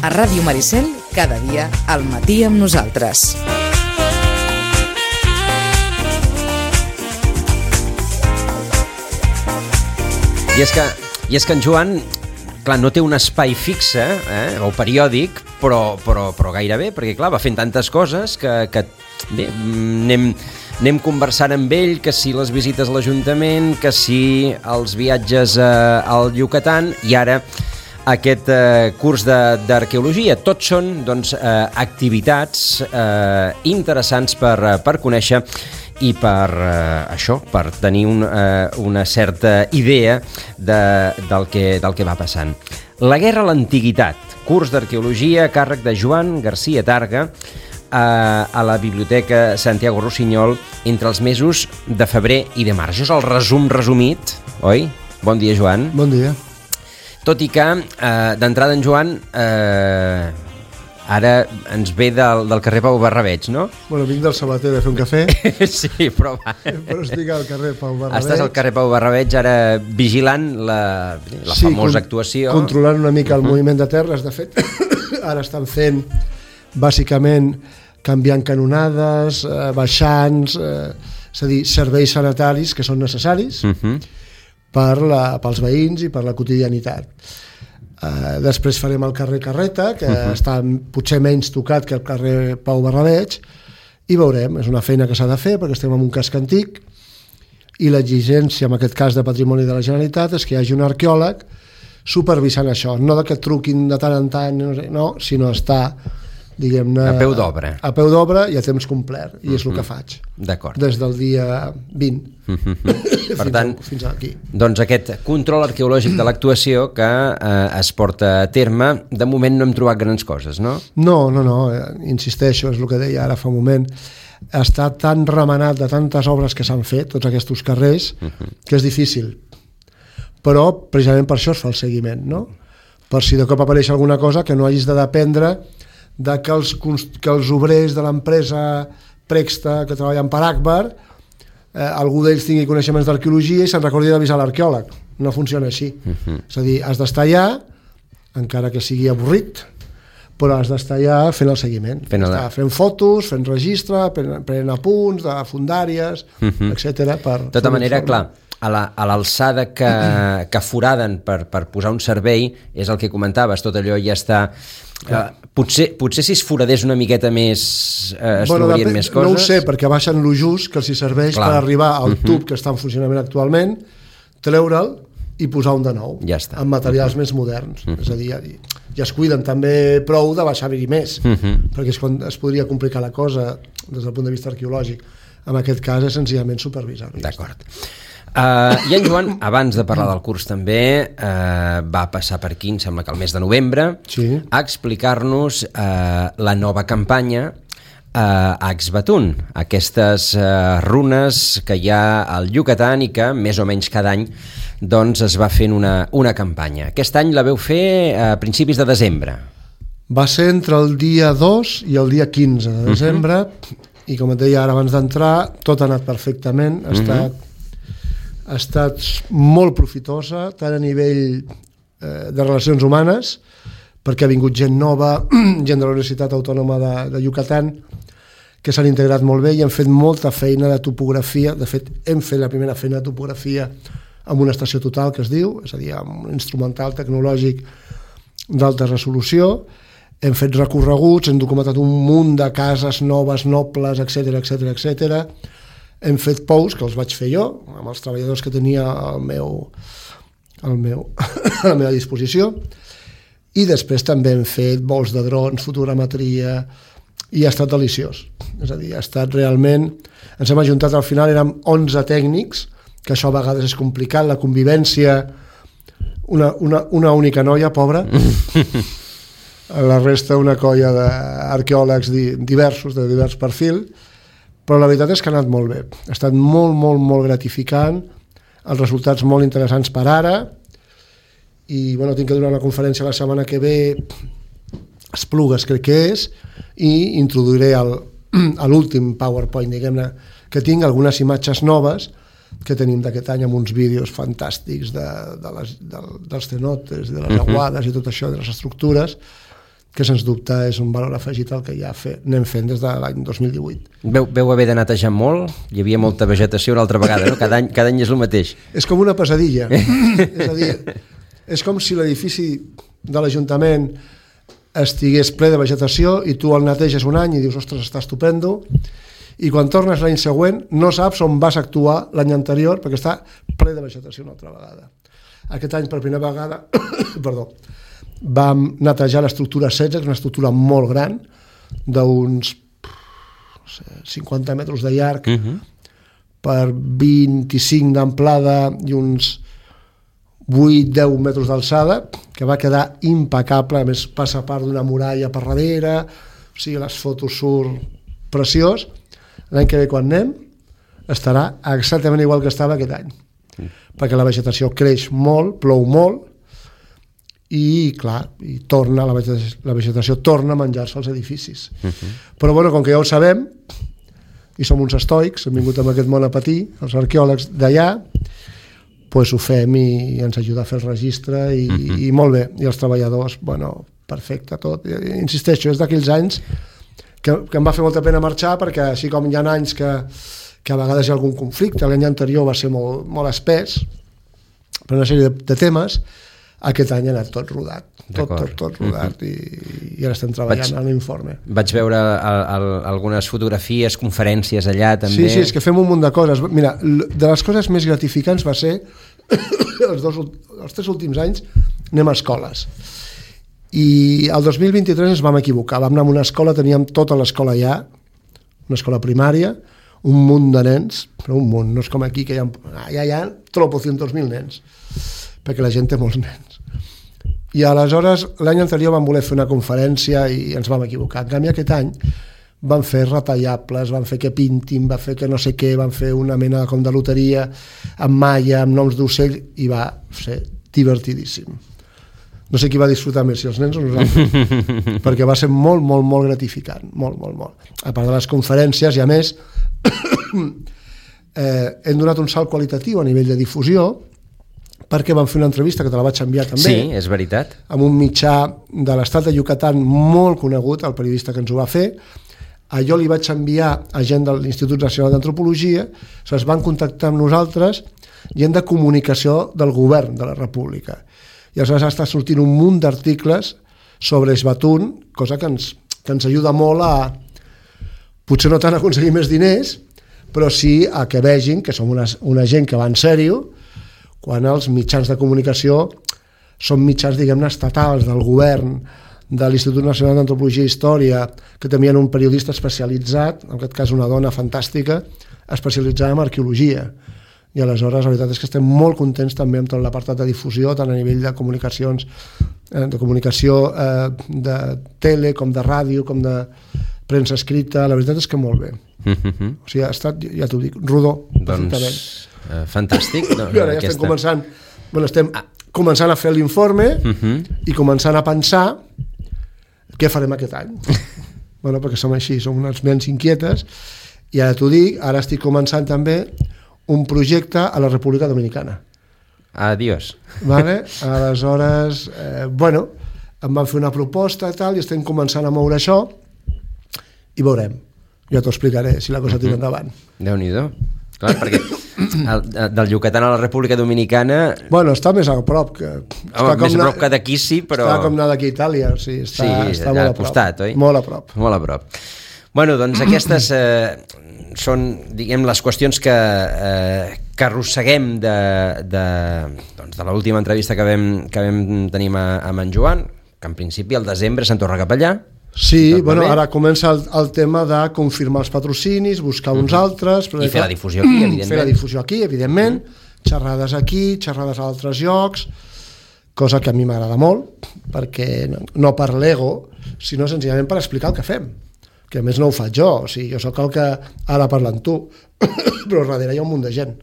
A Ràdio Maricel, cada dia al matí amb nosaltres. I és que en Joan, clar, no té un espai fixe o periòdic, però gairebé, perquè clar, va fent tantes coses que bé, anem conversant amb ell, que si les visites a l'Ajuntament, que si els viatges al Yucatán i ara aquest curs d'arqueologia. Tots són doncs, activitats interessants per conèixer i per això, per tenir una certa idea del que va passant. La guerra a l'antiguitat, curs d'arqueologia a càrrec de Joan García Targa a la Biblioteca Santiago Rossinyol entre els mesos de febrer i de març. Això és el resumit, oi? Bon dia, Joan. Bon dia. Tot i que, d'entrada, en Joan, ara ens ve del carrer Pau Barrabeig, no? Bueno, vinc del Sabater de fer un cafè. Sí, però va. Però estic al carrer Pau Barrabeig. Estàs al carrer Pau Barrabeig ara vigilant la famosa actuació. Controlant una mica el moviment de terres. De fet, ara estan fent, bàsicament, canviant canonades, baixants, és a dir, serveis sanitaris que són necessaris pels veïns i per la quotidianitat. Després farem el carrer Carreta, que està potser menys tocat que el carrer Pau Barrabeig, i veurem, és una feina que s'ha de fer perquè estem en un casc antic i l'exigència, en aquest cas de Patrimoni de la Generalitat, és que hi hagi un arqueòleg supervisant això, no que et truquin de tant en tant, no, sinó estar, diguem-ne, a peu d'obra. A peu d'obra i a temps complert, i és el que faig. D'acord. Des del dia 20. Per tant, fins aquí. Doncs aquest control arqueològic de l'actuació que es porta a terme, de moment no hem trobat grans coses, no? No, insisteixo, és el que deia ara fa un moment, està tan remenat de tantes obres que s'han fet, tots aquests carrers, que és difícil. Però precisament per això es fa el seguiment, no? Per si de cop apareix alguna cosa que no hagis de dependre de que els obrers de l'empresa Prexta que treballen per Akbar, algú d'ells tingui coneixements d'arqueologia i se'n recordi d'avisar l'arqueòleg. No funciona així. És a dir, has d'estar allà, encara que sigui avorrit, però has d'estar allà fent el seguiment. Fent fotos, fent registre, prenent apunts de fundàries, etc. De tota manera, clar, a l'alçada que foraden per posar un servei, és el que comentaves, tot allò ja està... Potser si es foradés una miqueta més es trobarien més coses. No ho sé, perquè baixen lo just que els serveix per arribar al tub que està en funcionament actualment, treure'l i posar un de nou, amb materials més moderns. És a dir, ja es cuiden també prou de baixar-hi més, perquè és quan es podria complicar la cosa des del punt de vista arqueològic. En aquest cas és senzillament supervisar. D'acord. I en Joan, abans de parlar del curs també, va passar per aquí, em sembla que el mes de novembre, a explicar-nos la nova campanya a Axbatún, aquestes runes que hi ha al Yucatán i que més o menys cada any doncs, es va fent una campanya. Aquest any la veu fer a principis de desembre. Va ser entre el dia 2 i el dia 15 de desembre i com et deia ara abans d'entrar, tot ha anat perfectament, ha estat molt profitosa, tant a nivell de relacions humanes, perquè ha vingut gent nova, gent de la Universitat Autònoma de Yucatán, que s'han integrat molt bé i han fet molta feina de topografia. De fet, hem fet la primera feina de topografia amb una estació total, que es diu, és a dir, amb un instrumental tecnològic d'alta resolució. Hem fet recorreguts, hem documentat un munt de cases noves, nobles, etc. Hem fet pous, que els vaig fer jo, amb els treballadors que tenia a la meva disposició, i després també hem fet vols de drons, fotogrametria, i ha estat deliciós. És a dir, ha estat realment... Ens hem ajuntat, al final érem 11 tècnics, que això a vegades és complicat, la convivència, una única noia, pobra, la resta una colla d'arqueòlegs diversos, de divers perfil, però la veritat és que ha anat molt bé. Ha estat molt, molt, molt gratificant, els resultats molt interessants per ara, i bueno, tinc que donar una conferència la setmana que ve, Esplugues crec que és, i introduiré a l'últim PowerPoint, diguem-ne, que tinc algunes imatges noves que tenim d'aquest any amb uns vídeos fantàstics dels cenotes, de les aguades i tot això, de les estructures, que sens dubte és un valor afegit al que ja anem fent des de l'any 2018. Veu haver de netejar molt? Hi havia molta vegetació una altra vegada, no? Cada any és el mateix. És com una pesadilla. És a dir, és com si l'edifici de l'Ajuntament estigués ple de vegetació i tu el neteges un any i dius, ostres, està estupendo, i quan tornes l'any següent no saps on vas actuar l'any anterior perquè està ple de vegetació una altra vegada. Aquest any, per primera vegada, perdó, vam netejar l'estructura 16, que és una estructura molt gran, d'uns 50 metres de llarg per 25 d'amplada i uns 8-10 metres d'alçada, que va quedar impecable, a més passa part d'una muralla per darrere, o sigui, les fotos surt preciós. L'any que ve quan anem estarà exactament igual que estava aquest any, perquè la vegetació creix molt, plou molt, i clar, i torna la vegetació torna a menjar-se els edificis. Però bueno, com que ja ho sabem i som uns estoics, hem vingut amb aquest món a patir, els arqueòlegs d'allà, doncs ho fem i ens ajuda a fer el registre i molt bé, i els treballadors, bueno, perfecte tot. Insisteixo, és d'aquells anys que em va fer molta pena marxar, perquè així com hi ha anys que a vegades hi ha algun conflicte, l'any anterior va ser molt espès per una sèrie de temes. Aquest any ha anat tot rodat, tot rodat, i ara estem treballant en l'informe. Vaig veure algunes fotografies, conferències allà també. Sí, és que fem un munt de coses. Mira, de les coses més gratificants va ser els 3 últims anys anem a escoles. I el 2023 ens vam equivocar, vam anar a una escola, teníem tota l'escola allà, una escola primària, un munt de nens, però un munt, no és com aquí que hi ha tropocientos mil nens, perquè la gent té molts nens. I aleshores l'any anterior vam voler fer una conferència i ens vam equivocar. En canvi aquest any van fer retallables, van fer que pintin, van fer que no sé què, van fer una mena com de loteria amb malla, amb noms d'ocell, i va ser divertidíssim. No sé qui va disfrutar més, si els nens o nosaltres, perquè va ser molt, molt, molt gratificant, molt, molt, molt. A part de les conferències, i a més hem donat un salt qualitatiu a nivell de difusió, perquè vam fer una entrevista, que te la vaig enviar també. Sí, és veritat. Amb un mitjà de l'estat de Yucatán molt conegut, el periodista que ens ho va fer. Jo li vaig enviar a gent de l'Institut Nacional d'Antropologia, es van contactar amb nosaltres, gent de comunicació del govern de la República. I aleshores està sortint un munt d'articles sobre Esbatún, cosa que ens ajuda molt a, potser no tant a aconseguir més diners, però sí a que vegin que som una gent que va en sèrio, quan els mitjans de comunicació són mitjans, diguem-ne, estatals del govern, de l'Institut Nacional d'Antropologia i Història, que tenien un periodista especialitzat, en aquest cas una dona fantàstica, especialitzada en arqueologia. I aleshores la veritat és que estem molt contents també amb tot l'apartat de difusió, tant a nivell de comunicacions, de comunicació de tele, com de ràdio, com de premsa escrita. La veritat és que molt bé. O sigui, ha estat, ja t'ho dic, rodó. Doncs fantàstic. Ara ja estem començant a fer l'informe i començant a pensar què farem aquest any. Bueno, perquè som així, som unes ments inquietes, i ara t'ho dic, ara estic començant també un projecte a la República Dominicana. Adiós. Vale? Aleshores, bueno, em van fer una proposta i tal, i estem començant a moure això, i veurem. Ja t'ho explicaré, si la cosa tira endavant. Déu-n'hi-do. Clar, perquè del Yucatán a la República Dominicana... Bueno, està més a prop que... més a prop que d'aquí sí, però... Està com anar d'aquí a Itàlia, o sigui, està molt a prop. Costat, oi? Molt a prop. Molt a prop. Bueno, doncs aquestes són, diguem, les qüestions que arrosseguem de l'última entrevista que vam tenir amb en Joan, que en principi al desembre se'n torna cap allà. Sí, bueno, ara comença el tema de confirmar els patrocinis, buscar uns altres... I fer la difusió aquí, evidentment. Fer la difusió aquí, evidentment, xerrades aquí, xerrades a altres llocs, cosa que a mi m'agrada molt, perquè no per l'ego, sinó senzillament per explicar el que fem, que a més no ho faig jo, o sigui, jo sóc el que ara parla amb tu, però darrere hi ha un munt de gent,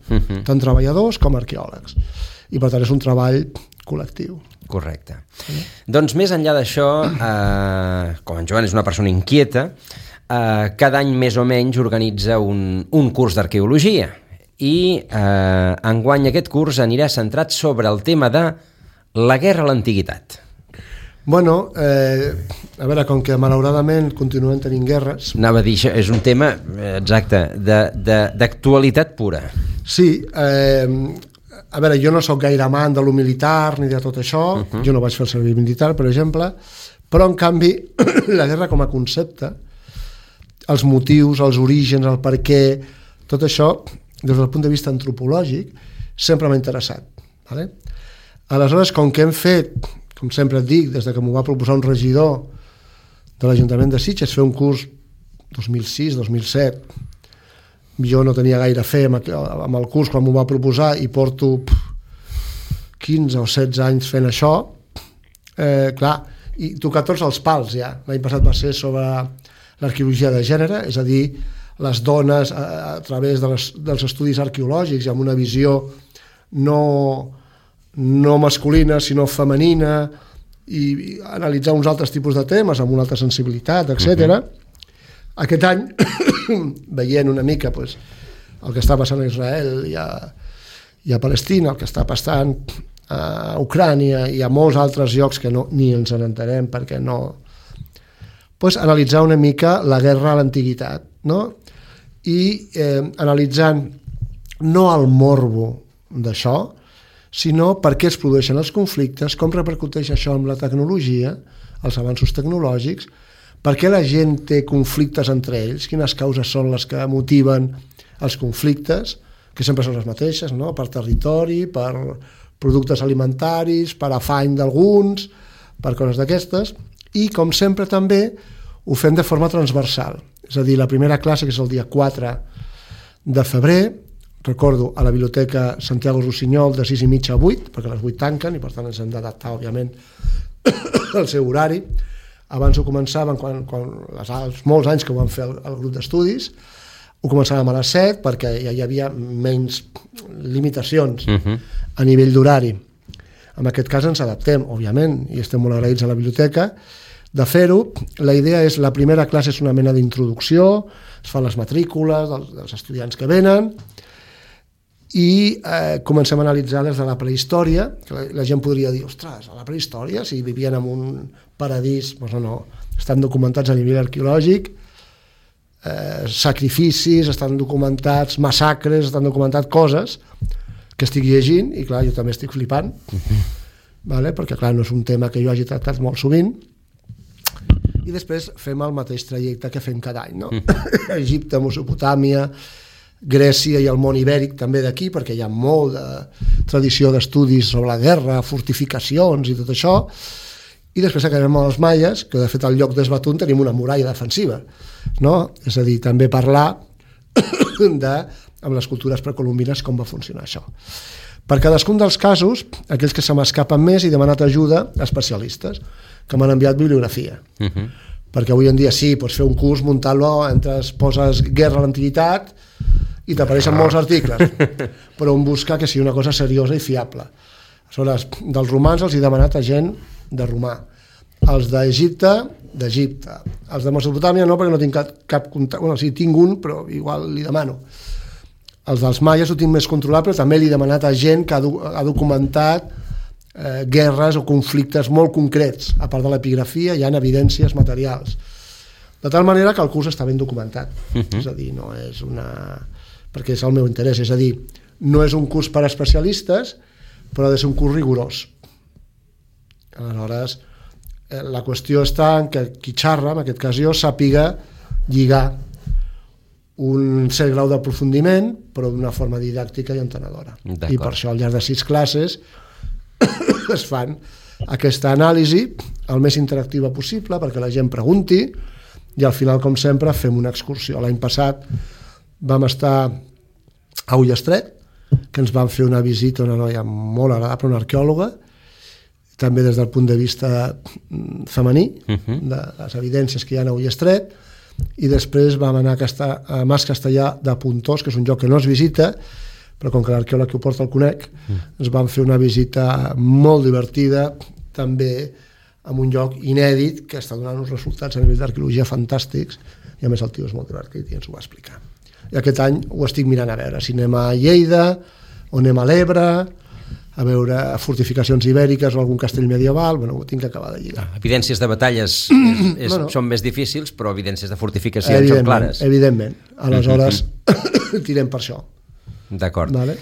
tant treballadors com arqueòlegs, i per tant és un treball col·lectiu. Correcte. Doncs més enllà d'això, com en Joan és una persona inquieta, cada any més o menys organitza un curs d'arqueologia, i enguany aquest curs anirà centrat sobre el tema de la guerra a l'antiguitat. Bueno, a veure, com que malauradament continuem tenint guerres... Anava a dir, això és un tema, exacte, d'actualitat pura. Sí, a veure, jo no sóc gaire amant de lo militar ni de tot això, jo no vaig fer el servei militar, per exemple, però en canvi la guerra com a concepte, els motius, els orígens, el per què, tot això, des del punt de vista antropològic, sempre m'ha interessat. Vale? Aleshores, com que hem fet, com sempre et dic, des que m'ho va proposar un regidor de l'Ajuntament de Sitges, fer un curs 2006-2007, jo no tenia gaire fe amb el curs quan m'ho va proposar i porto 15 o 16 anys fent això, clar, i tocar tots els pals ja. L'any passat va ser sobre l'arqueologia de gènere, és a dir, les dones a través dels estudis arqueològics i amb una visió no masculina sinó femenina i analitzar uns altres tipus de temes amb una altra sensibilitat, etc. Aquest any, veient una mica el que està passant a Israel i a Palestina, el que està passant a Ucrània i a molts altres llocs que ni ens n'entenem perquè no... analitzar una mica la guerra a l'antiguitat, no? I analitzant no el morbo d'això, sinó per què es produeixen els conflictes, com repercuteix això amb la tecnologia, els avanços tecnològics, per què la gent té conflictes entre ells, quines causes són les que motiven els conflictes, que sempre són les mateixes, no? Per territori, per productes alimentaris, per afany d'alguns, per coses d'aquestes, i com sempre també ho fem de forma transversal. És a dir, la primera classe, que és el dia 4 de febrer, recordo, a la Biblioteca Santiago Rossinyol de 6:30 a 8, perquè a les 8 tanquen i per tant ens hem d'adaptar, òbviament, al seu horari. Abans ho començàvem, els molts anys que ho vam fer el grup d'estudis, ho començàvem a les 7 perquè ja hi havia menys limitacions a nivell d'horari. En aquest cas ens adaptem, òbviament, i estem molt agraïts a la biblioteca de fer-ho. La idea és, la primera classe és una mena d'introducció, es fan les matrícules dels estudiants que venen i comencem a analitzar des de la prehistòria, que la gent podria dir, ostres, a la prehistòria, si vivien en un paradís, doncs no, estan documentats a nivell arqueològic, sacrificis, estan documentats massacres, estan documentats coses que estic llegint, i clar, jo també estic flipant, vale? Perquè clar, no és un tema que jo hagi tractat molt sovint, i després fem el mateix trajecte que fem cada any, no? Egipte, Mesopotàmia, Grècia i el món ibèric també d'aquí, perquè hi ha molt de tradició d'estudis sobre la guerra, fortificacions i tot això, i després acabem amb els maies, que de fet al lloc d'Esbatun tenim una muralla defensiva, no? És a dir, també parlar amb les cultures precolombines com va funcionar això. Per cadascun dels casos, aquells que se m'escapen més, he demanat ajuda a especialistes que m'han enviat bibliografia. Perquè avui en dia sí, pots fer un curs, muntar-lo, poses guerra a l'antiguitat i t'apareixen molts articles, però on buscar que sigui una cosa seriosa i fiable. Aleshores, dels romans els he demanat a gent de romà, els d'Egipte, d'Egipte, els de Mesopotàmia no, perquè no tinc cap contacte, bueno, sí, tinc un, però igual li demano. Els dels maies ho tinc més controlat, però també li he demanat a gent que ha documentat guerres o conflictes molt concrets. A part de l'epigrafia hi ha evidències materials. De tal manera que el curs està ben documentat. És a dir, no és una... perquè és el meu interès, és a dir, no és un curs per a especialistes, però ha de ser un curs rigorós. Aleshores, la qüestió està en que qui xarra, en aquest cas jo, sàpiga lligar un cert grau d'aprofundiment, però d'una forma didàctica i entenedora. I per això al llarg de 6 classes es fan aquesta anàlisi el més interactiva possible perquè la gent pregunti i al final, com sempre, fem una excursió. L'any passat vam estar a Ullastret, que ens van fer una visita a una noia molt agradable, una arqueòloga, també des del punt de vista femení, de les evidències que hi ha a Ullastret, i després vam anar a Mas Castellà de Pontós, que és un lloc que no es visita, però com que l'arqueòleg que ho porta el conec, ens van fer una visita molt divertida, també en un lloc inèdit, que està donant uns resultats a nivell d'arqueologia fantàstics, i a més el tio és molt divertit i ens ho va explicar. I aquest any ho estic mirant a veure, si anem a Lleida, o anem a l'Ebre, a veure fortificacions ibèriques o algun castell medieval, bueno, ho tinc que acabar de lligar. Evidències de batalles són més difícils, però evidències de fortificacions són clares. Evidentment. Aleshores, tirem per això. D'acord. Vale.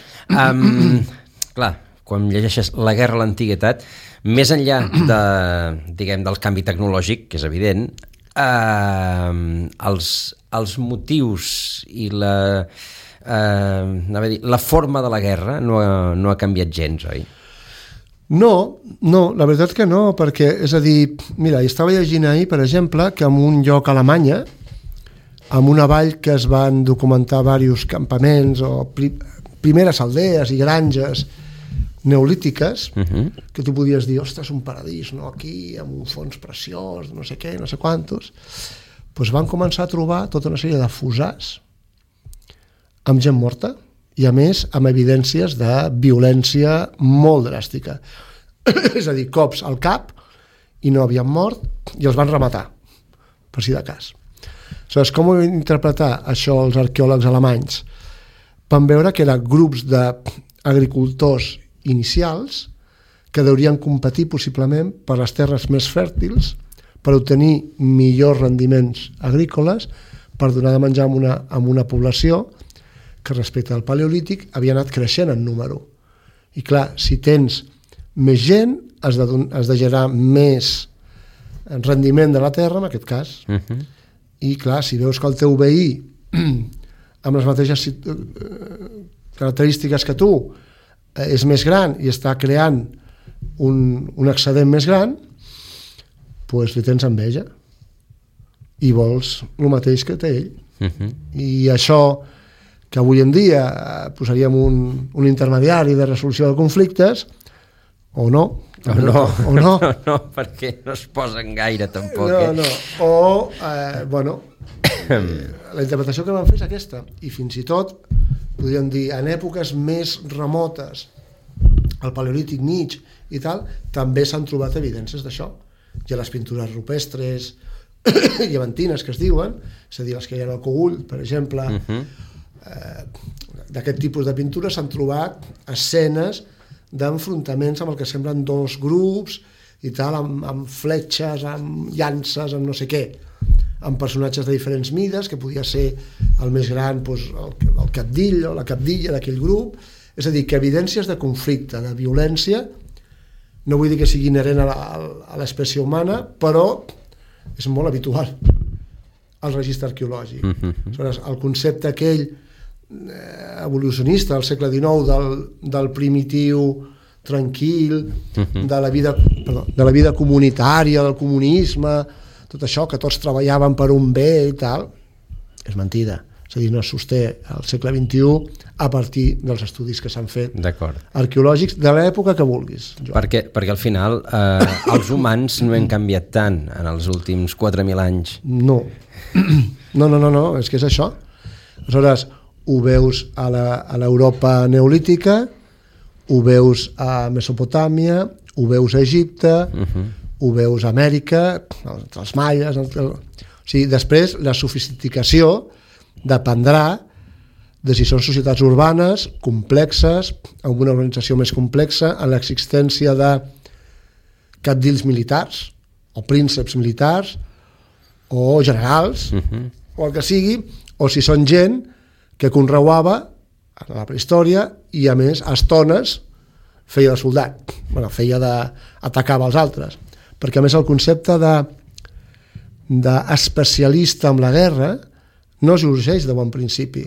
Clar, quan llegeixes La guerra a l'antiguitat, més enllà del canvi tecnològic, que és evident, els motius i la forma de la guerra no ha canviat gens, oi? No, la veritat que no, perquè, és a dir, mira, estava llegint ahir, per exemple, que en un lloc a Alemanya, en una vall que es van documentar diversos campaments o primeres aldees i granges neolítiques, que tu podies dir, ostres, un paradís, no? Aquí, amb un fons preciós, no sé què, no sé quantos, doncs van començar a trobar tota una sèrie de fossars amb gent morta i, a més, amb evidències de violència molt dràstica. És a dir, cops al cap i no havien mort i els van rematar, per si de cas. Aleshores, com ho van interpretar això els arqueòlegs alemanys? Van veure que eren grups d'agricultors inicials que deurien competir possiblement per les terres més fèrtils per obtenir millors rendiments agrícoles per donar de menjar a una població que respecte al paleolític havia anat creixent en número. I clar, si tens més gent, has de generar més rendiment de la terra, en aquest cas. I clar, si veus que el teu veí amb les mateixes característiques que tu és més gran i està creant un excedent més gran, doncs li tens enveja i vols el mateix que té ell. I això que avui en dia posaríem un intermediari de resolució de conflictes, o no, perquè no es posen gaire tampoc. La interpretació que van fer és aquesta, i fins i tot podríem dir, en èpoques més remotes, al paleolític mig i tal, també s'han trobat evidències d'això. Hi ha les pintures rupestres llevantines que es diuen, és a dir, les que hi ha al Cogul, per exemple, d'aquest tipus de pintures s'han trobat escenes d'enfrontaments amb el que semblen dos grups i tal, amb fletxes, amb llances, amb no sé què, amb personatges de diferents mides, que podia ser el més gran, doncs, el cabdill o la cabdilla d'aquell grup. És a dir, que evidències de conflicte, de violència, no vull dir que sigui inherent a l'espècie humana, però és molt habitual al registre arqueològic. Aleshores, el concepte aquell evolucionista del segle XIX del primitiu tranquil, de la vida comunitària, del comunisme, tot això, que tots treballaven per un bé i tal, és mentida. És a dir, no es sosté al segle XXI a partir dels estudis que s'han fet arqueològics de l'època que vulguis. Perquè al final els humans no hem canviat tant en els últims 4.000 anys. No, és que és això. Aleshores, ho veus a l'Europa neolítica, ho veus a Mesopotàmia, ho veus a Egipte, ho veus a Amèrica, entre els maies... O sigui, després la sofisticació dependrà de si són societats urbanes, complexes, amb una organització més complexa, en l'existència de cabdills militars, o prínceps militars, o generals, o el que sigui, o si són gent que conreuava a la prehistòria i, a més, a estones feia de soldat, feia d'atacava els altres. Perquè, a més, el concepte d'especialista en la guerra no sorgeix de bon principi,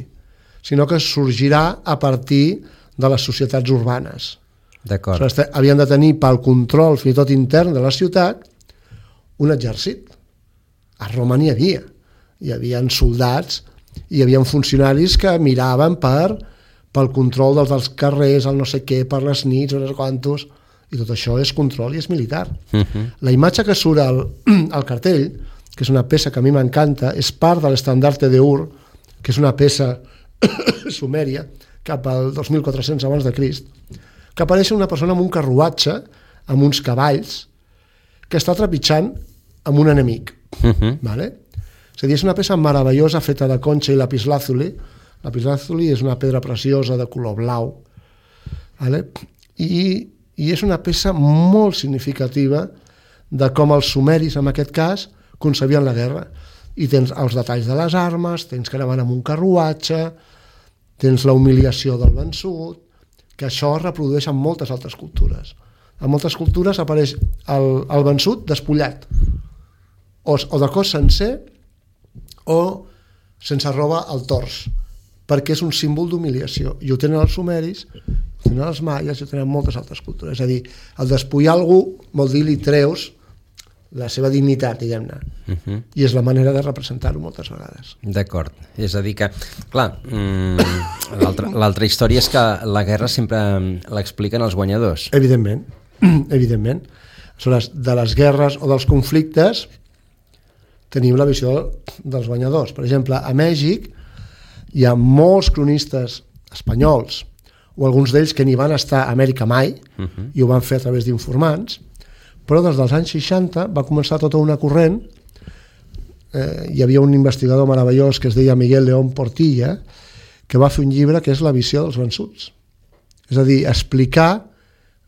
sinó que sorgirà a partir de les societats urbanes. D'acord. Havien de tenir pel control, fins i tot intern de la ciutat, un exèrcit. A Roma n'hi havia. Hi havia soldats, hi havia funcionaris que miraven pel control dels carrers, el no sé què, per les nits, no sé quantos, i tot això és control i és militar. La imatge que surt al cartell, que és una peça que a mi m'encanta, és part de l'estandarte d'Ur, que és una peça sumèria, cap al 2400 abans de Crist, que apareix una persona amb un carruatge, amb uns cavalls, que està trepitjant amb un enemic. Vale? És a dir, és una peça meravellosa feta de conxa i lapislàzuli. Lapislàzuli és una pedra preciosa de color blau. Vale? i és una peça molt significativa de com els sumeris, en aquest cas, concebien la guerra. I tens els detalls de les armes, tens que anaven amb un carruatge, tens la humiliació del vençut, que això es reprodueix en moltes altres cultures. En moltes cultures apareix el vençut despullat, o de cos sencer, o sense roba al tors, perquè és un símbol d'humiliació. I ho tenen els sumeris, ho tenen els maies, i ho tenen moltes altres cultures. És a dir, el despullar algú vol dir li treus la seva dignitat, diguem-ne. I és la manera de representar-ho moltes vegades. D'acord. És a dir que, clar, l'altra història és que la guerra sempre l'expliquen els guanyadors. Evidentment, evidentment. Aleshores, de les guerres o dels conflictes tenim la visió dels guanyadors. Per exemple, a Mèxic hi ha molts cronistes espanyols, o alguns d'ells que ni van estar a Amèrica mai, i ho van fer a través d'informants, però des dels anys 60 va començar tota una corrent. Hi havia un investigador meravellós que es deia Miguel León Portilla, que va fer un llibre que és La visió dels vençuts. És a dir, explicar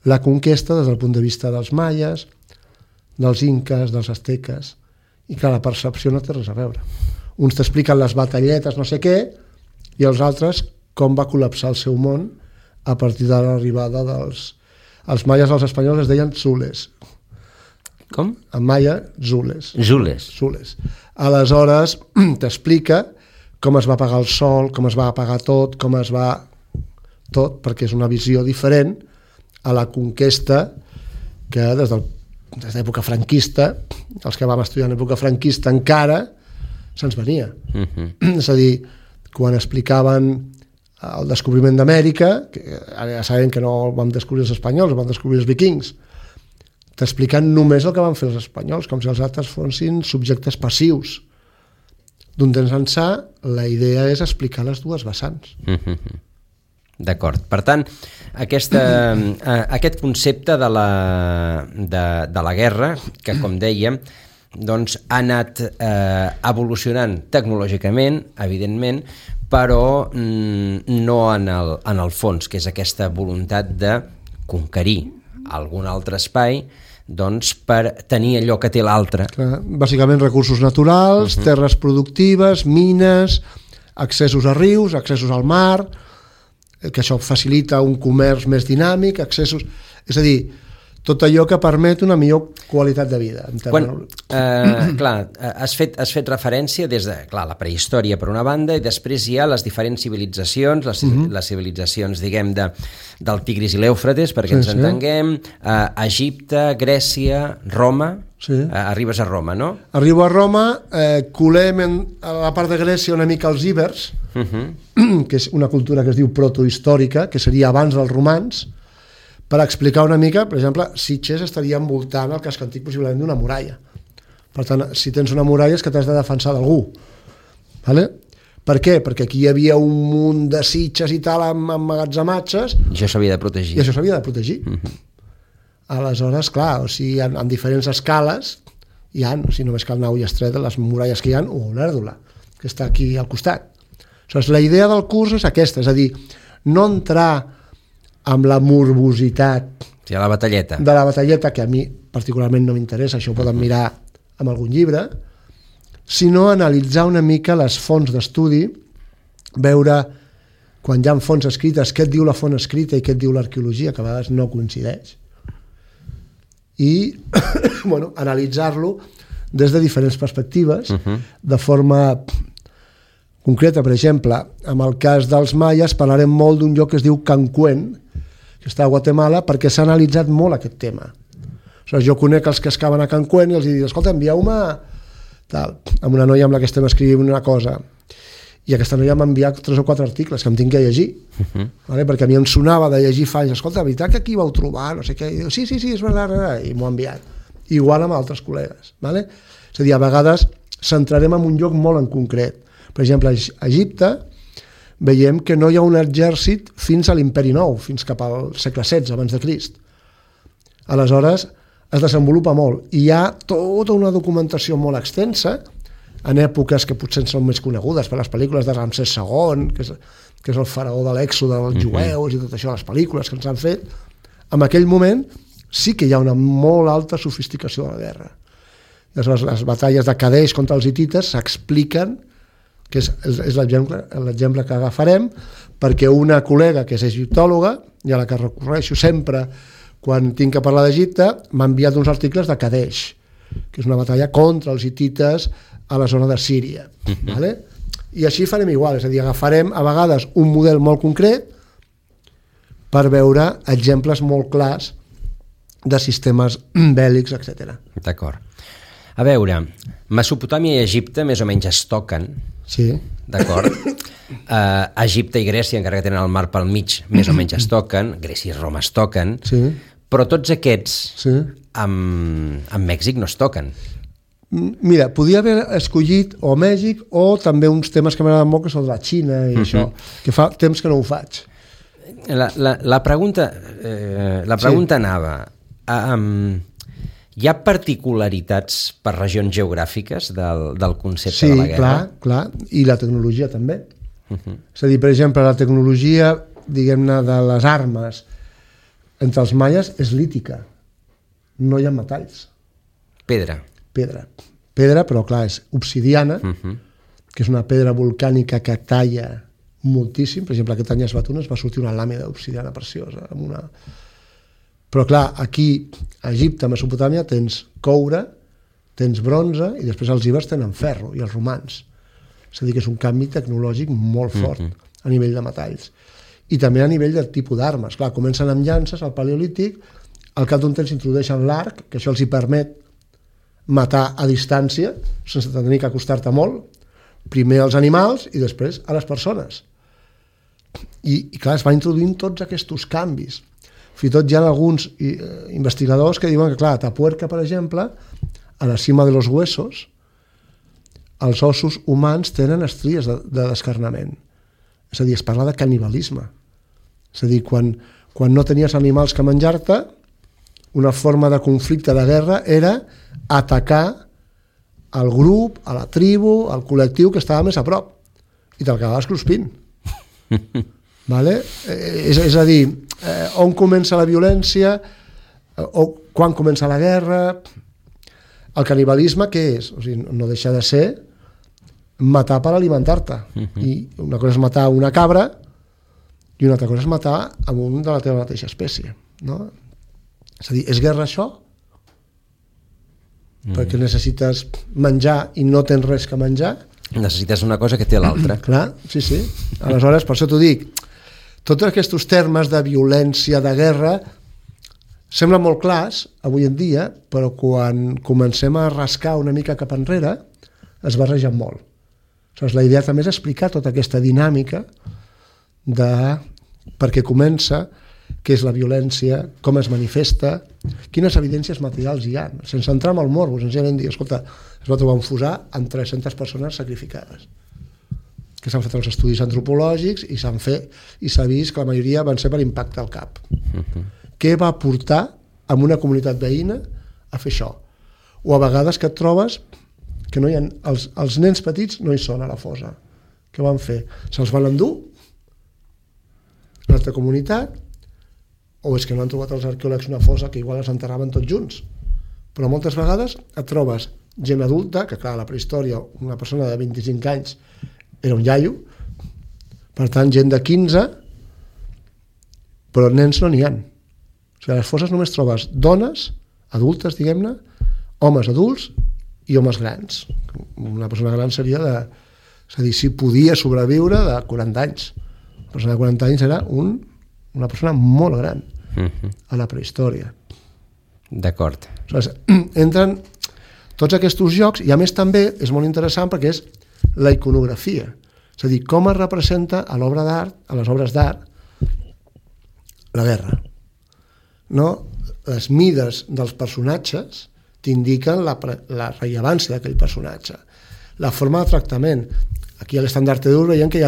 la conquesta des del punt de vista dels maies, dels inques, dels asteques, i que la percepció no té res a veure. Uns t'expliquen les batalletes, no sé què, i els altres com va col·lapsar el seu món a partir de l'arribada dels... Els maies als espanyols es deien Zules. Com? En maia, Zules. Zules. Aleshores, t'explica com es va apagar el sol, com es va apagar tot, com es va... Tot, perquè és una visió diferent a la conquesta que des de l'època franquista, els que vam estudiar en l'època franquista encara, se'ns venia. És a dir, quan explicaven el descobriment d'Amèrica, que ara ja sabem que no el vam descobrir els espanyols, el vam descobrir els vikings, t'explicant només el que van fer els espanyols, com si els altres fossin subjectes passius. D'un temps ençà, la idea és explicar les dues vessants. D'acord. Per tant, aquest concepte de la guerra, que com dèiem, doncs, ha anat evolucionant tecnològicament, evidentment, però no en el fons, que és aquesta voluntat de conquerir algun altre espai, doncs, per tenir allò que té l'altre. Bàsicament recursos naturals, terres productives, mines, accessos a rius, accessos al mar, que això facilita un comerç més dinàmic, accessos... És a dir, tot allò que permet una millor qualitat de vida. Clar, has fet referència des de la prehistòria per una banda, i després hi ha les diferents civilitzacions, les civilitzacions, diguem, del Tigris i l'Eufrates, perquè ens entenguem, Egipte, Grècia, Roma. Arribes a Roma, no? Arribo a Roma, colem a la part de Grècia una mica els íbers, que és una cultura que es diu protohistòrica, que seria abans dels romans, per explicar una mica, per exemple, Sitges estaria envoltant el casc antic possiblement d'una muralla. Per tant, si tens una muralla és que t'has de defensar d'algú. Vale? Per què? Perquè aquí hi havia un munt de sitges i tal amb emmagatzematges. I això s'havia de protegir. I això s'havia de protegir. Aleshores, clar, o sigui, en diferents escales hi ha, si només cal anar a Ullastret, les muralles que hi ha, o Olèrdola, que està aquí al costat. Aleshores, la idea del curs és aquesta, és a dir, no entrar amb la morbositat de la batalleta, que a mi particularment no m'interessa, això ho poden mirar amb algun llibre, sinó analitzar una mica les fonts d'estudi, veure quan hi ha fonts escrites què et diu la font escrita i què et diu l'arqueologia, que a vegades no coincideix, i bueno, analitzar-lo des de diferents perspectives, de forma concreta. Per exemple, en el cas dels maies parlarem molt d'un lloc que es diu Cancún, que està a Guatemala, perquè s'ha analitzat molt aquest tema. Jo conec els que escaven a Cancún i els dic, escolta, envieu-me amb una noia amb la que estem escrivint una cosa, i aquesta noia m'ha enviat 3 o 4 articles que em tinc que llegir, perquè a mi em sonava de llegir fa anys, escolta, veritat que aquí vau trobar, no sé què, i dic, sí, és veritat, i m'ho ha enviat. Igual amb altres col·legues. És a dir, a vegades centrarem en un lloc molt en concret. Per exemple, a Egipte veiem que no hi ha un exèrcit fins a l'Imperi Nou, fins cap al segle XVI abans de Crist. Aleshores, es desenvolupa molt. I hi ha tota una documentació molt extensa, en èpoques que potser són més conegudes per les pel·lícules de Ramsès II, que és el faraó de l'èxode dels jueus i tot això, les pel·lícules que ens han fet, en aquell moment sí que hi ha una molt alta sofisticació de la guerra. Llavors, les batalles de Kadesh contra els hitites s'expliquen, que és l'exemple que agafarem, perquè una col·lega que és egiptòloga, i a la que recorreixo sempre quan tinc que parlar d'Egipte, m'ha enviat uns articles de Kadesh, que és una batalla contra els hitites a la zona de Síria. Vale? I així farem igual, és a dir, agafarem a vegades un model molt concret per veure exemples molt clars de sistemes bèl·lics, etc. D'acord. A veure, Mesopotàmia i Egipte més o menys es toquen, sí. D'acord? Egipte i Grècia, encara que tenen el mar pel mig, més o menys es toquen, Grècia i Roma es toquen, Sí. però tots aquests Sí. amb Mèxic no es toquen. Mira, podia haver escollit o Mèxic o també uns temes que m'agraden molt, que són de la Xina i això, que fa temps que no ho faig. La pregunta anava... Hi ha particularitats per regions geogràfiques del concepte de la guerra? Sí, clar, i la tecnologia també. És a dir, per exemple, la tecnologia, diguem-ne, de les armes entre els maies és lítica. No hi ha metalls. Pedra. Pedra, però clar, és obsidiana, que és una pedra volcànica que talla moltíssim. Per exemple, aquest any a Esbatunes va sortir una làmina d'obsidiana preciosa, amb una... Però clar, aquí a Egipte, a Mesopotàmia, tens coure, tens bronze i després els ibers tenen ferro i els romans. És a dir, que és un canvi tecnològic molt fort a nivell de metalls. I també a nivell del tipus d'armes. Clar, comencen amb llances al paleolític, al cap d'un temps introdueixen l'arc, que això els hi permet matar a distància, sense tenir que acostar-te molt, primer als animals i després a les persones. I clar, es van introduint tots aquests canvis. Fins i tot hi ha alguns investigadors que diuen que, clar, a Atapuerca, per exemple, a la cima de los huesos, els ossos humans tenen estries de descarnament. És a dir, es parla de canibalisme. És a dir, quan no tenies animals que menjar-te, una forma de conflicte de guerra era atacar al grup, a la tribu, al col·lectiu que estava més a prop. I te'l acabaves cruspint. Vale? És a dir, on comença la violència, o quan comença la guerra. El canibalisme què és? O sigui, no deixa de ser matar per alimentar-te. I una cosa és matar una cabra i una altra cosa és matar a un de la teva mateixa espècie. No? És a dir, és guerra això? Perquè necessites menjar i no tens res que menjar? Necessites una cosa que té l'altra. Clar, sí. Aleshores, per això t'ho dic, tots aquests termes de violència, de guerra, semblen molt clars avui en dia, però quan comencem a rascar una mica cap enrere, es barregen molt. Aleshores, la idea també és explicar tota aquesta dinàmica de per què comença, què és la violència, com es manifesta, quines evidències materials hi ha, sense entrar en el morbo, senzillament dir, escolta, es va trobar un fusar amb 300 persones sacrificades, que s'han fet els estudis antropològics i s'ha vist que la majoria van ser per impacte al cap. Què va portar a una comunitat veïna a fer això? O a vegades que et trobes que no hi ha, els nens petits no hi són a la fossa. Què van fer? Se'ls van endur a una altra comunitat, o és que no han trobat els arqueòlegs una fossa que igual els enterraven tots junts. Però moltes vegades et trobes gent adulta, que clar, a la prehistòria una persona de 25 anys era un iaio, per tant gent de 15, però nens no n'hi ha. O sigui, a les fosses només trobes dones adultes, diguem-ne, homes adults i homes grans. Una persona gran seria de... És a dir, si podia sobreviure de 40 anys. Una persona de 40 anys era una persona molt gran a la prehistòria. D'acord. Aleshores, entren tots aquests jocs i a més també és molt interessant perquè és la iconografia. És a dir, com es representa a l'obra d'art, a les obres d'art, la guerra. No? Les mides dels personatges t'indiquen la rellevància d'aquell personatge. La forma de tractament. Aquí a l'estandard d'Ur veiem que hi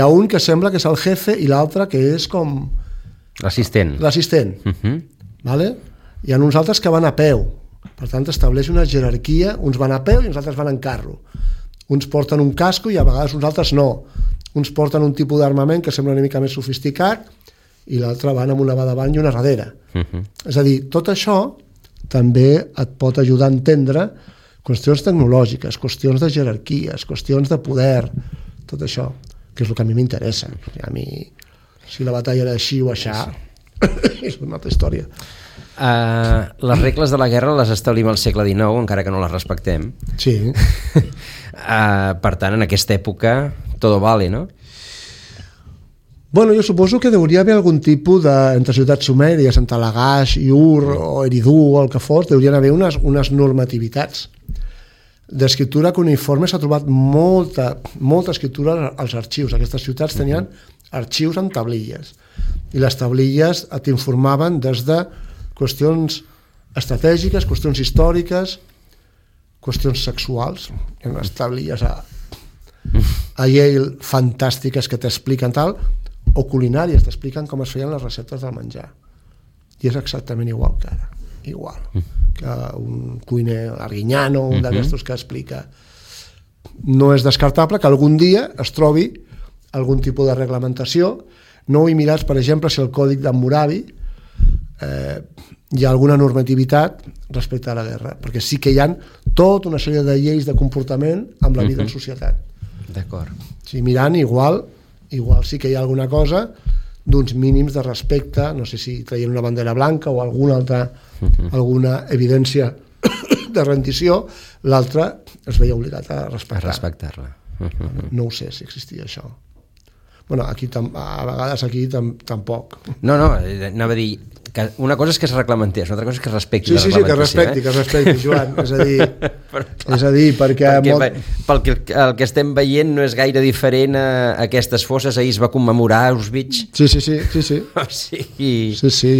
ha un que sembla que és el jefe i l'altre que és com... L'assistent. Vale? Hi ha uns altres que van a peu. Per tant, estableix una jerarquia. Uns van a peu i uns altres van en carro. Uns porten un casco i a vegades uns altres no. Uns porten un tipus d'armament que sembla una mica més sofisticat i l'altre van amb una va davant i una darrere. És a dir, tot això també et pot ajudar a entendre qüestions tecnològiques, qüestions de jerarquies, qüestions de poder, tot això, que és el que a mi m'interessa. A mi, si la batalla era així o aixà, és una altra història. Les regles de la guerra les establim al segle XIX, encara que no les respectem. Sí. Per tant, en aquesta època, todo vale, no? Bueno, jo suposo que hauria haver algun tipus de, entre ciutats sumèries, entre Lagash i Ur o Eridu o el que fos, haurien haver unes normativitats d'escriptura cuneiforme. S'ha trobat molta escriptura als arxius. Aquestes ciutats tenien arxius amb tablilles i les tablilles t'informaven des de qüestions estratègiques, qüestions històriques, qüestions sexuals. Hi ha unes tablilles a Yale fantàstiques que t'expliquen tal, o culinàries, t'expliquen com es feien les receptes del menjar. I és exactament igual que ara. Igual. Que un cuiner Arguiñano, un d'aquestos que explica. No és descartable que algun dia es trobi algun tipus de reglamentació. No ho he mirat, per exemple, si el còdic d'Hammurabi hi ha alguna normativitat respecte a la guerra, perquè sí que hi ha tota una sèrie de lleis de comportament amb la vida en societat. D'acord. Si mirant, igual sí que hi ha alguna cosa d'uns mínims de respecte, no sé si traient una bandera blanca o alguna alguna evidència de rendició, l'altre es veia obligat a respectar-la. No ho sé si existia això. Bueno, aquí a vegades aquí tampoc. No, anava a dir que una cosa és que es reglamentés, una altra cosa és que es respecti la reglamentació. Sí, que es respecti, Joan. És a dir, perquè el que estem veient no és gaire diferent a aquestes fosses. Ahir es va commemorar Auschwitz. Sí. Sí,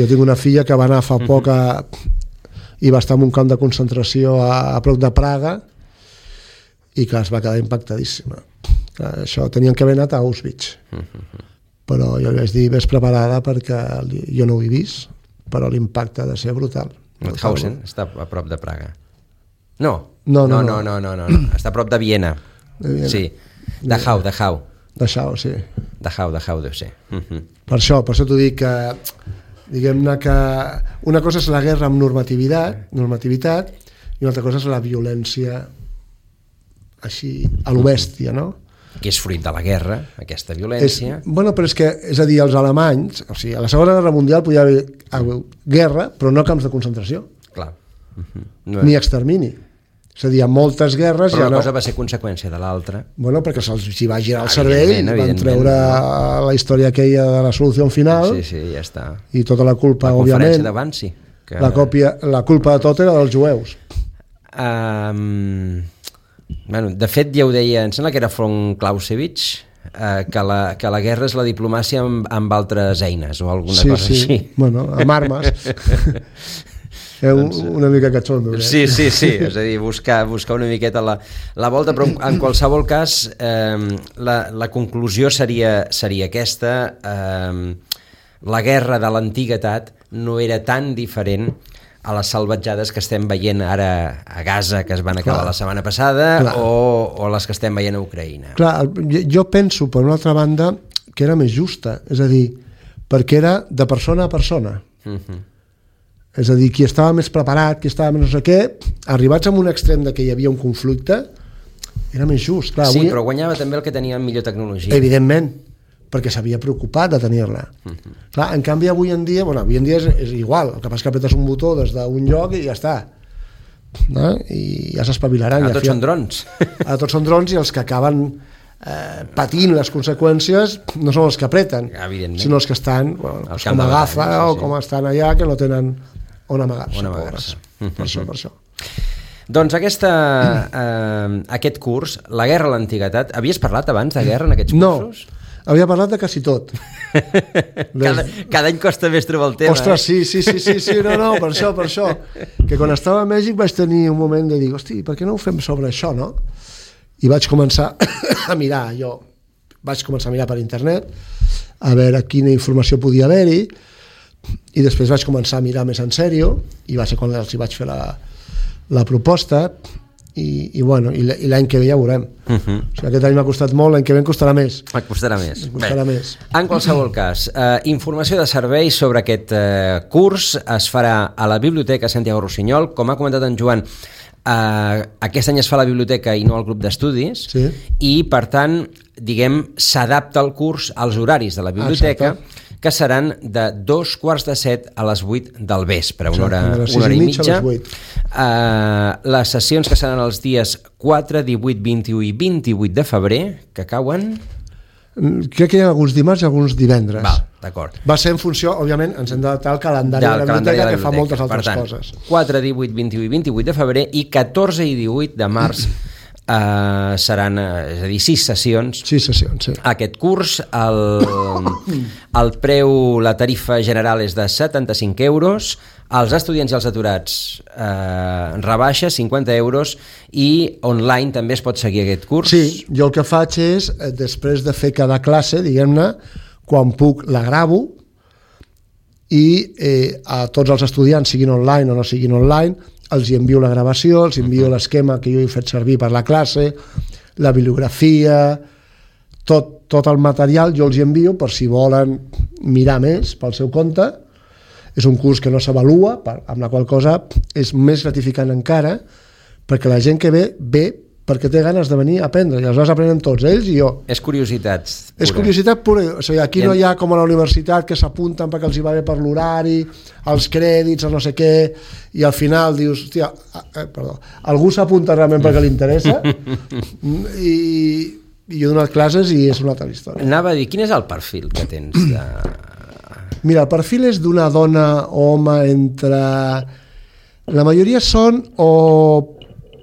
jo tinc una filla que va anar fa poc i va estar en un camp de concentració a prop de Praga i que es va quedar impactadíssima. Això tenien que haver anat a Auschwitz. Però jo li vaig dir, ves preparada perquè jo no ho he vist, però l'impacte ha de ser brutal. Mauthausen està a prop de Praga. No. Està a prop de Viena. Sí. Dachau. Dachau, sí. Dachau deu ser. Per això t'ho dic que diguem-ne que una cosa és la guerra amb normativitat i una altra cosa és la violència així a lo bèstia, no? Que és fruit de la guerra, aquesta violència. Però és que, és a dir, els alemanys, o sigui, a la Segona Guerra Mundial podia haver guerra, però no camps de concentració. Clar. Ni extermini. És a dir, hi ha moltes guerres... Però una cosa va ser conseqüència de l'altra. Bueno, perquè se'ls va girar el cervell, van treure la història aquella de la solució final. Sí, ja està. I tota la culpa, òbviament... La conferència de Wannsee. La culpa de tot era dels jueus. De fet, ja ho deia, em sembla que era von Clausewitz, que la guerra és la diplomàcia amb altres eines o alguna cosa així. Bueno, amb armes. Una mica catxondo. Sí, és a dir, buscar una miqueta la volta, però en qualsevol cas la conclusió seria aquesta. La guerra de l'antiguitat no era tan diferent a les salvatjades que estem veient ara a Gaza, que es van acabar la setmana passada, o les que estem veient a Ucraïna. Clar, jo penso, per una altra banda, que era més justa, és a dir, perquè era de persona a persona. És a dir, qui estava més preparat, qui estava més no sé què, arribats a un extrem de que hi havia un conflicte, era més just. Clar, sí, però guanyava també el que tenia millor tecnologia. Evidentment, perquè s'havia preocupat de tenir-la. Clar, en canvi, avui en dia és igual, el que passa que apretes un botó des d'un lloc i ja està. No? I ja s'espavilaran. Tots són drons. Tots són drons i els que acaben patint les conseqüències no són els que apreten, sinó els que estan com a gafa o com estan allà, que no tenen on amagar-se. Per això. Doncs aquest curs, la guerra a l'antiguitat, havies parlat abans de guerra en aquests cursos? No, havia parlat de quasi tot. Cada any costa més trobar el tema. Ostres, sí, no, per això. Que quan estava a Mèxic vaig tenir un moment de dir, hosti, per què no ho fem sobre això, no? I vaig començar a mirar, per internet, a veure quina informació podia haver-hi, i després vaig començar a mirar més en sèrio, i va ser quan els hi vaig fer la proposta, i l'any que ve ja veurem. O sigui, aquest any m'ha costat molt, l'any que ve em costarà més. Et costarà més. Més. En qualsevol cas, informació de serveis sobre aquest curs es farà a la Biblioteca Santiago Rossinyol. Com ha comentat en Joan, aquest any es fa a la biblioteca i no al grup d'estudis, sí. I per tant, diguem, s'adapta el curs als horaris de la biblioteca. Exacte. Que seran de 2:45 a les 8 del vespre, una hora i mitja. Les sessions que seran els dies 4, 18, 21 i 28 de febrer, que cauen... Crec que hi ha alguns dimarts i alguns divendres. D'acord. Va ser en funció, òbviament, ens hem d'adaptar al calendari de la biblioteca, que fa moltes altres coses. 4, 18, 21 i 28 de febrer i 14 i 18 de març seran, és a dir, 6 sessions. 6 sessions, sí. Aquest curs, el preu, la tarifa general és de 75 euros, els estudiants i els aturats rebaixa 50 euros i online també es pot seguir aquest curs. Sí, jo el que faig és, després de fer cada classe, diguem-ne, quan puc la gravo i a tots els estudiants, siguin online o no siguin online, els hi envio la gravació, els envio l'esquema que jo he fet servir per la classe, la bibliografia, tot el material jo els hi envio per si volen mirar més pel seu compte. És un curs que no s'avalua, amb la qual cosa és més gratificant encara, perquè la gent que ve perquè té ganes de venir a aprendre, i aleshores aprenen tots, ells i jo. És curiositat pura. És curiositat pura. O sigui, aquí no hi ha com a la universitat que s'apunten perquè els hi va bé per l'horari, els crèdits, el no sé què, i al final dius, hòstia, algú s'apunta realment perquè li interessa, i jo he donat classes i és una altra història. Anava a dir, quin és el perfil que tens de... Mira, el perfil és d'una dona o home entre... La majoria són o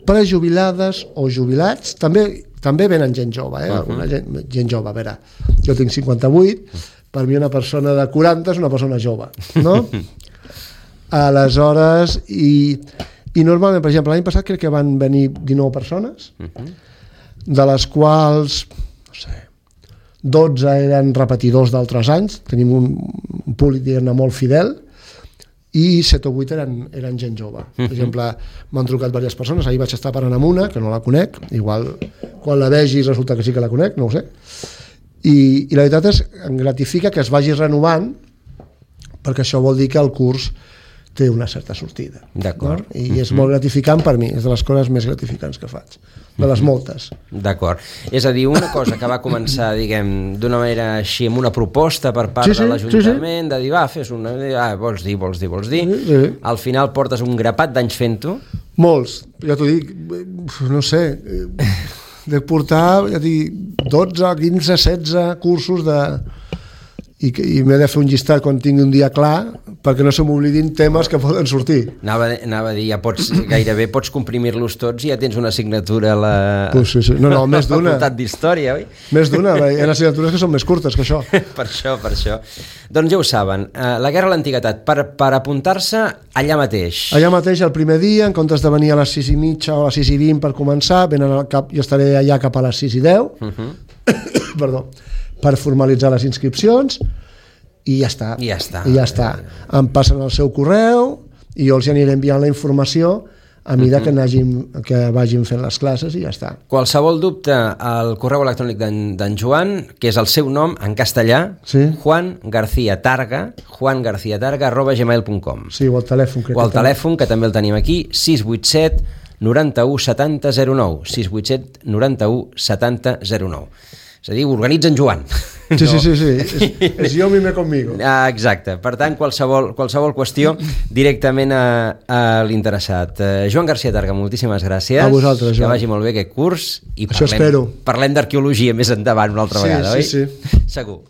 prejubilades o jubilats, també venen gent jove, gent jove, a veure, jo tinc 58, per mi una persona de 40 és una persona jove, no? Aleshores, i normalment, per exemple, l'any passat crec que van venir 19 persones, de les quals, no sé, 12 eren repetidors d'altres anys, tenim un públic, diguem-ne, molt fidel, i 7 o 8 eren gent jove. Per exemple, m'han trucat diverses persones, ahir vaig estar parlant amb una, que no la conec, igual quan la vegi resulta que sí que la conec, no ho sé, i la veritat és que em gratifica que es vagi renovant, perquè això vol dir que el curs té una certa sortida. D'acord. No? I és molt gratificant per mi, és de les coses més gratificants que faig, de les moltes. D'acord. És a dir, una cosa que va començar, diguem, d'una manera així, amb una proposta per part de l'Ajuntament, de dir, fes una... vols dir. Sí. Al final portes un grapat d'anys fent-ho. Molts. Ja t'ho dic, no sé, de portar, ja dic, 12, 15, 16 cursos de... i m'he de fer un llistat quan tingui un dia clar perquè no se m'oblidin temes que poden sortir. Anava a dir, gairebé pots comprimir-los tots i ja tens una assignatura a la... Sí. No, més d'una. Facultat d'Història, oi? Més d'una, hi ha assignatures que són més curtes que això. Per això. Doncs ja ho saben, la Guerra a l'Antiguitat, per apuntar-se allà mateix. Allà mateix, el primer dia, en comptes de venir a les 6:30 o a les 6:20 per començar, jo estaré allà cap a les 6:10, perdó, per formalitzar les inscripcions, i ja està. Em passen el seu correu i jo els aniré enviant la informació a mesura que vagin fent les classes i ja està. Qualsevol dubte, al correu electrònic d'en Joan, que és el seu nom en castellà, sí. juangarciatarga@gmail.com. Sí, o el telèfon. O el telèfon, que també el tenim aquí, 687 91 70 09, 687 91 70 09. És a dir, organitza en Joan. Sí. És jo mime conmigo. Exacte. Per tant, qualsevol qüestió directament a l'interessat. Joan Garciatarga, moltíssimes gràcies. A vosaltres, Joan. Que vagi molt bé aquest curs. I això espero. Parlem d'arqueologia més endavant una altra vegada, oi? Sí. Segur.